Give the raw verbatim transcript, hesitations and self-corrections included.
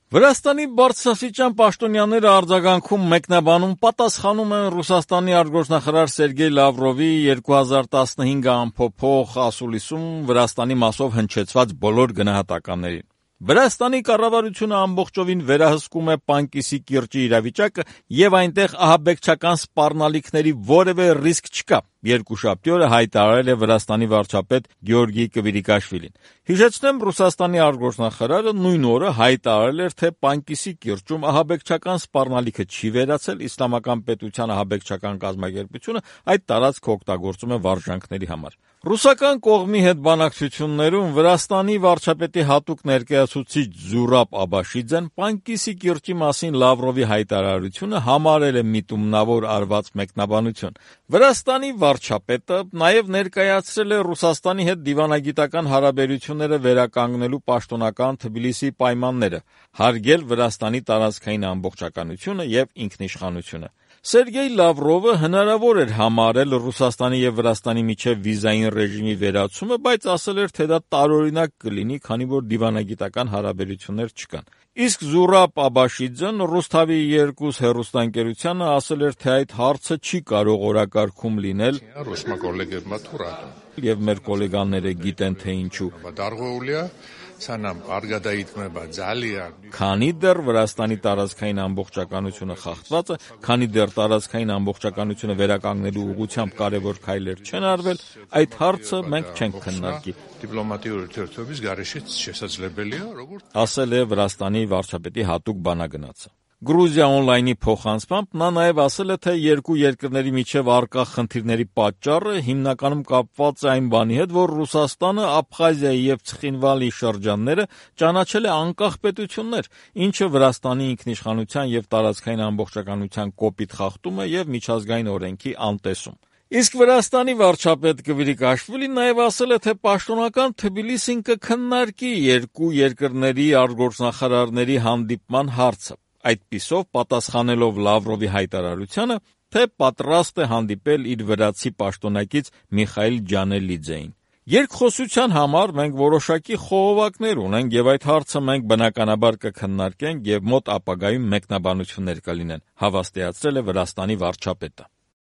Վրաստանի բարձրաստիճան պաշտոնյաները արձագանքում մեկնաբանում պատասխանում են Ռուսաստանի արտգործնախարար Սերգեյ Լավրովի երկու հազար տասնհինգ ամփոփող ասուլիսում Վրաստանի մասով հնչեցված բոլոր գնահատականներին։ Վրաստանի կառավարությունը ամբողջովին վերահսկում է Պանկիսի կիրճի իրավիճակը եւ այնտեղ ահաբեկչական սպառնալիքների որևէ ռիսկ չկա, երկուշաբթի օրը հայտարարել է Վրաստանի վարչապետ Գեորգի Կվիրիկաշվիլին։ Հիշեցնեմ, Ռուսաստանի արտգործնախարարը նույն օրը հայտարարել էր, թե Պանկիսի կիրճում ահաբեկչական սպառնալիքը չի վերացել, Իսլամական պետության ահաբեկչական կազմակերպությունը այդ տարածքը օգտագործում է վարժանքների համար։ Ռուսական կողմի հետ բանակցություններում Վրաստանի վարչապետի հատուկ ներկայացուցիչ Զուրաբ Աբաշիձեն Պանկիսի կիրճի մասին Լավրովի հայտարարությունը համարել է միտումնավոր արված մեկնաբանություն։ Վրաստանի վարչապետը նաև ներկայացրել է Ռուսաստանի հետ դիվանագիտական հարաբերությունները վերականգնելու պաշտոնական Թբիլիսիի պայմանները, հարգել Վրաստանի տարածքային ամբողջականությունը եւ ինքնիշխանությունը։ Սերգեյ Լավրովը հնարավոր էր համարել Ռուսաստանի եւ Վրաստանի միջև վիզային ռեժիմի վերացումը, բայց ասել էր, թե դա տարօրինակ կլինի, քանի որ դիվանագիտական հարաբերություններ չկան։ Իսկ Զուրաբ Աբաշիձեն Ռուսթավի երկուս հեռուստաընկերությանը ասել էր, թե այդ հարցը չի կարող օրակարգում լինել, եւ մեր գոլեգաները գիտեն, թե ինչու։ Քանի դեռ Վրաստանի տարածքային ամբողջականությունը խախտված է, քանի դեռ տարածքային ամբողջականությունը վերականգնելու ուղղությամբ կարևոր քայլեր չեն արվել, այդ հարցը մենք չենք քննարկի, ասել է Վրաստանի վարչապետի հատուկ բանագնացը։ Գրուզիա օնլայնի փոխանցմամբ նա նաև ասել է, թե երկու երկրների միջև առկա խնդիրների պատճառը հիմնականում կապված է այն բանի հետ, որ Ռուսաստանը Աբխազիայի եւ Ցխինվալի շրջանները ճանաչել է անկախ պետություններ, ինչը Վրաստանի ինքնիշխանության եւ տարածքային ամբողջականության կոպիտ խախտում է եւ միջազգային օրենքի անտեսում։ Իսկ Վրաստանի վարչապետ Կվիրիկաշվիլին նաև ասել է, թե պաշտոնական Թբիլիսին կքննարկի երկու երկրների արտգործնախարարների հանդիպման հարցը, այդպիսով պատասխանելով Լավրովի հայտարարությանը, թե պատրաստ է հանդիպել իր վրացի պաշտոնակից Միխայիլ Ջանելիձեին։ Երկխոսության համար մենք որոշակի խողովակներ ունենք եւ այդ հարցը մենք բնականաբար կքննարկենք եւ մոտ ապագայում մեկնաբանություններ կլինեն, հավաստիացրել է Վրաստանի վարչապետը։